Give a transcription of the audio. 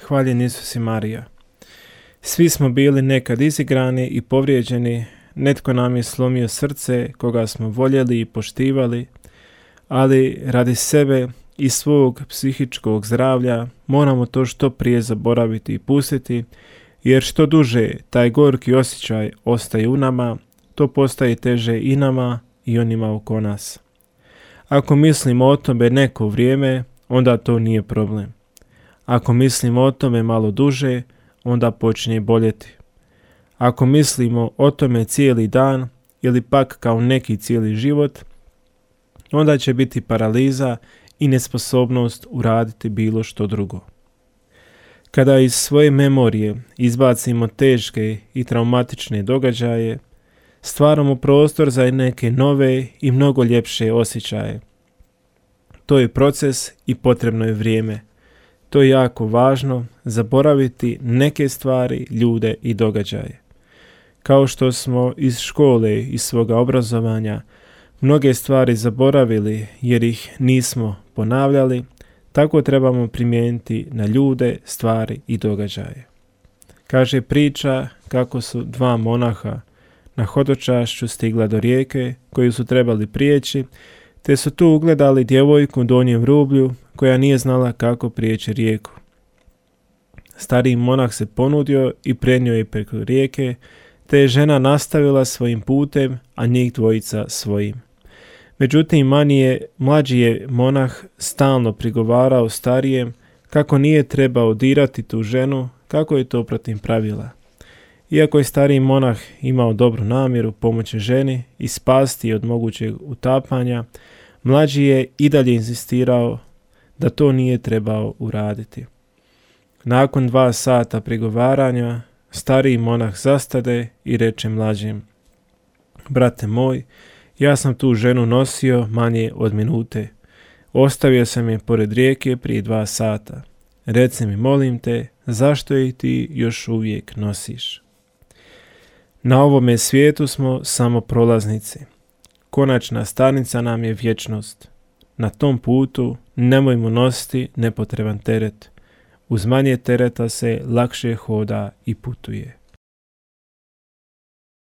hvaljen Isus i Marija. Svi smo bili nekad izigrani i povrijeđeni, netko nam je slomio srce koga smo voljeli i poštivali, ali radi sebe i svog psihičkog zdravlja moramo to što prije zaboraviti i pustiti, jer što duže taj gorki osjećaj ostaje u nama, to postaje teže i nama i onima oko nas. Ako mislimo o tome neko vrijeme, onda to nije problem. Ako mislimo o tome malo duže, onda počinje boljeti. Ako mislimo o tome cijeli dan ili pak kao neki cijeli život, onda će biti paraliza i nesposobnost uraditi bilo što drugo. Kada iz svoje memorije izbacimo teške i traumatične događaje, stvaramo prostor za neke nove i mnogo ljepše osjećaje. To je proces i potrebno je vrijeme. To je jako važno, zaboraviti neke stvari, ljude i događaje. Kao što smo iz škole i svoga obrazovanja mnoge stvari zaboravili jer ih nismo ponavljali, tako trebamo primijeniti na ljude, stvari i događaje. Kaže priča kako su dva monaha na hodočašću stigla do rijeke koju su trebali prijeći, te su tu ugledali djevojku u donjem rublju koja nije znala kako prijeći rijeku. Stariji monah se ponudio i prenio je preko rijeke, te je žena nastavila svojim putem, a njih dvojica svojim. Međutim, mlađi je monah stalno prigovarao starijem kako nije trebao dirati tu ženu, kako je to protiv pravila. Iako je stariji monah imao dobru namjeru pomoći ženi i spasti od mogućeg utapanja, mlađi je i dalje inzistirao da to nije trebao uraditi. Nakon 2 sata prigovaranja, stariji monah zastade i reče mlađem: brate moj, ja sam tu ženu nosio manje od minute. Ostavio sam je pored rijeke prije 2 sata. Reci mi, molim te, zašto je ti još uvijek nosiš? Na ovome svijetu smo samo prolaznici. Konačna stanica nam je vječnost. Na tom putu nemojmo nositi nepotreban teret. Uz manje tereta se lakše hoda i putuje.